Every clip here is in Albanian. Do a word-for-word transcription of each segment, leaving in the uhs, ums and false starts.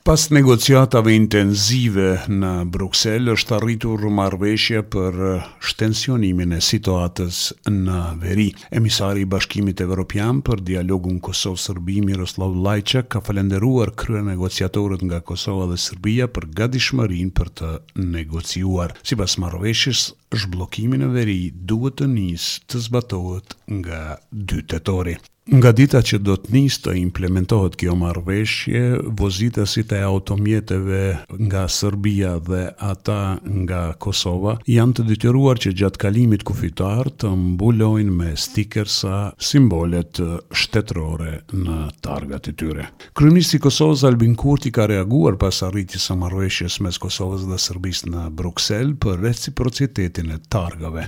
Pas negociatave intenzive në Bruksel është arritur marrëveshje për shtensionimin e situatës në veri. Emisari i Bashkimit Evropian për dialogun Kosovë-Serbi, Miroslav Lajçak, ka falënderuar kryenegociatorët nga Kosova dhe Serbia për gatishmërinë për të negociuar. Sipas marrëveshjes, zhbllokimi në veri duhet të nisë të zbatohet nga dy tetori. Nga dita që do të nisë të implementohet kjo marrëveshje, vozitësit e automjeteve nga Serbia dhe ata nga Kosova janë të detyruar që gjatë kalimit kufitar të mbulojnë me stikersa simbolet shtetërore në targat e tyre. Kryeministri i Kosovës, Albin Kurti, ka reaguar pas arritjes së marrëveshjes mes Kosovës dhe Serbisë në Bruksel për reciprocitetin e targave.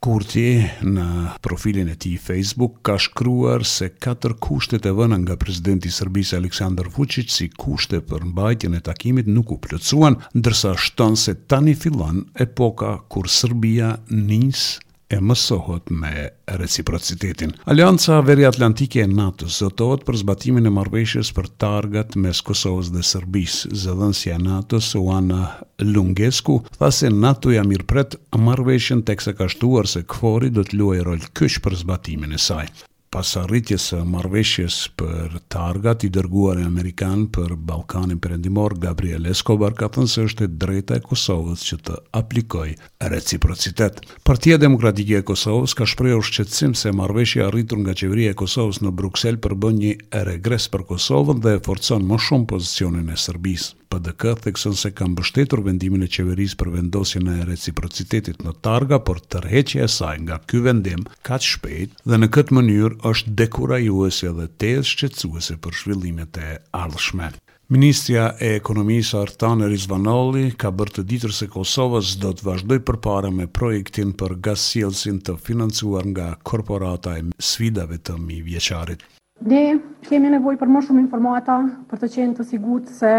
Kurti në profilin e tij Facebook ka shkruar se katër kushtet e vëna nga presidenti i Serbisë, Aleksandar Vučić, si kushte për mbajtjen e takimit nuk u plotësuan, ndërsa shton se tani fillon epoka kur Serbia nis e mësohet me reciprocitetin. Aleanca Veriatlantike e NATO-s zotohet për zbatimin e marrëveshjes për targat mes Kosovës dhe Serbisë. Zëdhënësja e NATO-s, Oana Lungescu, tha se NATO-ja mirëpret marrëveshjen, teksa ka shtuar se KFOR-i do të luajë rol kyç për zbatimin e saj. Pas arritjes së marrëveshjes për targat, i dërguari amerikan për Ballkanin Perëndimor, Gabriel Escobar, ka thënë se është e drejta e Kosovës që të aplikojë reciprocitet. Partia Demokratike e Kosovës ka shprehur shqetësim se marrëveshja e arritur nga qeveria e Kosovës në Bruksel përbën një regres për Kosovën dhe e forcon më shumë pozicionin e Serbisë. P D K thekson se ka mbështetur vendimin e qeverisë për vendosjen e reciprocitetit në targa, por tërheqja e saj nga ky vendim kaq shpejt dhe në këtë mënyrë është dekurajuese dhe tejet shqetësuese për zhvillimet e ardhshme. Ministrja e Ekonomisë, Artane Rizvanolli, ka bërë të ditur se Kosova s'do të vazhdojë përpara me projektin për gazsjellësin të financuar nga Korporata e Sfidave të Mijëvjeçarit. Ne kemi nevojë për më shumë informata për të qenë të sigurt se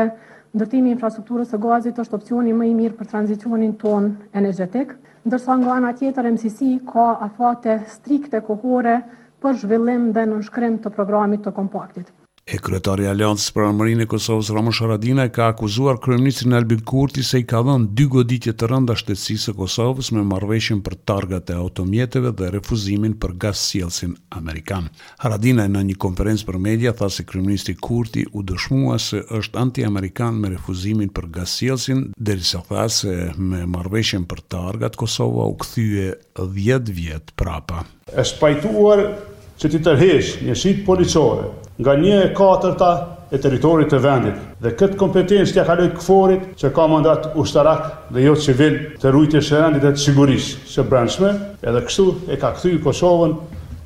ndërtimi i infrastrukturës së gazit është opsioni më i mirë për tranzicionin tonë energjetik, ndërsa nga ana tjetër M C C ka afate strikte kohore për zhvillim dhe nënshkrim të programit të kompaktit. E kryetari i Aleancës për Ardhmërinë e Kosovës, Ramush Haradinaj, ka akuzuar kryeministrin Albin Kurti se i ka dhënë dy goditje të rënda shtetësisë së Kosovës me marrëveshjen për targat e automjeteve dhe refuzimin për gazsjellësin amerikan. Haradinaj në një konferencë për media tha se kryeministri Kurti u dëshmua se është anti-amerikan me refuzimin për gazsjellësin, derisa tha se me marrëveshjen për targat Kosova u kthye dhjetë vjet prapa. Është pajtuar që t'i tërheq njësitë policore nga një e katërta e territorit të vendit dhe këtë kompetencë t'ja kaloj KFOR-it, që ka mandat ushtarak dhe jo civil të rujtjes së rendit dhe të sigurisë së brendshme, edhe kështu e ka kthy Kosovën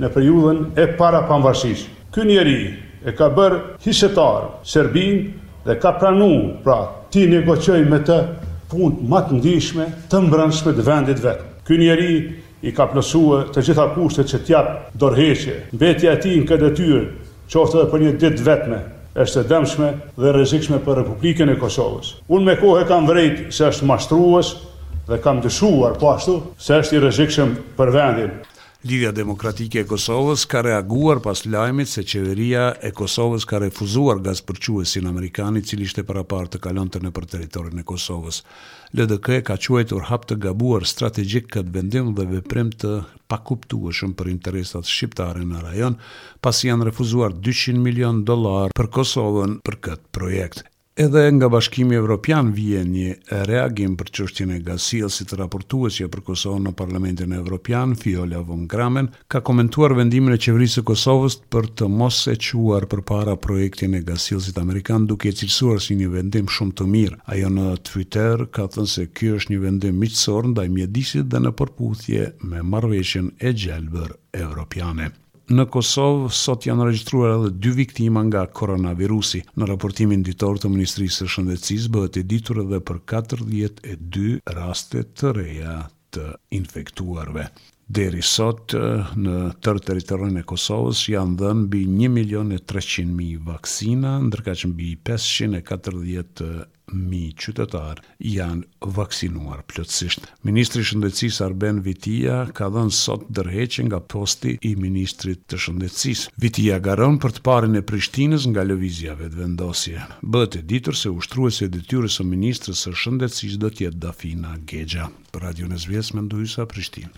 në periudhën e para pavarësisë. Ky njeri e ka bërë hisetar Serbinë dhe ka pranu, pra, ti negocioj me të punë më të ndjeshme të mbrendshme të vendit vet. Ky njeri i ka plotësuar të gjitha kushtet që t'jap dorëheqje. Mbetja e tij në këtë detyrë, qoftë edhe për një ditë vetme, është e dëmshme dhe rrezikshme për Republikën e Kosovës. Unë me kohë kam vrejt se është mashtrues dhe kam dyshuar po ashtu se është i rrezikshëm për vendin. Lidhja Demokratike e Kosovës ka reaguar pas lajmit se qeveria e Kosovës ka refuzuar gazpërçuesin amerikan, i cili ishte paraparë të kalonte nëpër territorin e Kosovës. L D K e ka quajtur hap të gabuar strategjik këtë vendim dhe veprim të pakuptueshëm për interesat shqiptare në rajon, pasi janë refuzuar dyqind milion dollar për Kosovën për këtë projekt. Edhe nga Bashkimi Evropian vije një reagim për çështjen e gazsjellësit. Raportuesja për Kosovën në Parlamentin Evropian, Viola von Cramon, ka komentuar vendimin e qeverisë së Kosovës për të mos e çuar përpara projektin e gazsjellësit amerikan, duke e cilësuar si një vendim shumë të mirë. Ajo në Twitter ka thënë se ky është një vendim miqësor ndaj mjedisit dhe në përputhje me marrëveshjen e gjelbër evropiane. Në Kosovë sot janë regjistruar edhe dy viktima nga koronavirusi. Në raportimin ditor të Ministrisë së Shëndetësisë bëhet e ditur edhe për katërdhjetë e dy raste të reja të infektuarve. Deri sot në tërë territorin e Kosovës janë dhënë mbi një milion e treqind mijë vaksina, ndërkaq mbi pesëqind e katërdhjetë mijë qytetarë janë vaksinuar plotësisht. Ministri i Shëndetësisë Arben Vitia ka dhënë sot dorëheqje nga posti i ministrit të Shëndetësisë. Vitia garon për të parin e Prishtinës nga Lëvizja Vetëvendosje. Bëhet e ditur se ushtruese e detyrës së ministres së Shëndetësisë do të jetë Dafina Gexha. Për Radion S B S, Mendu Hysa, Prishtinë.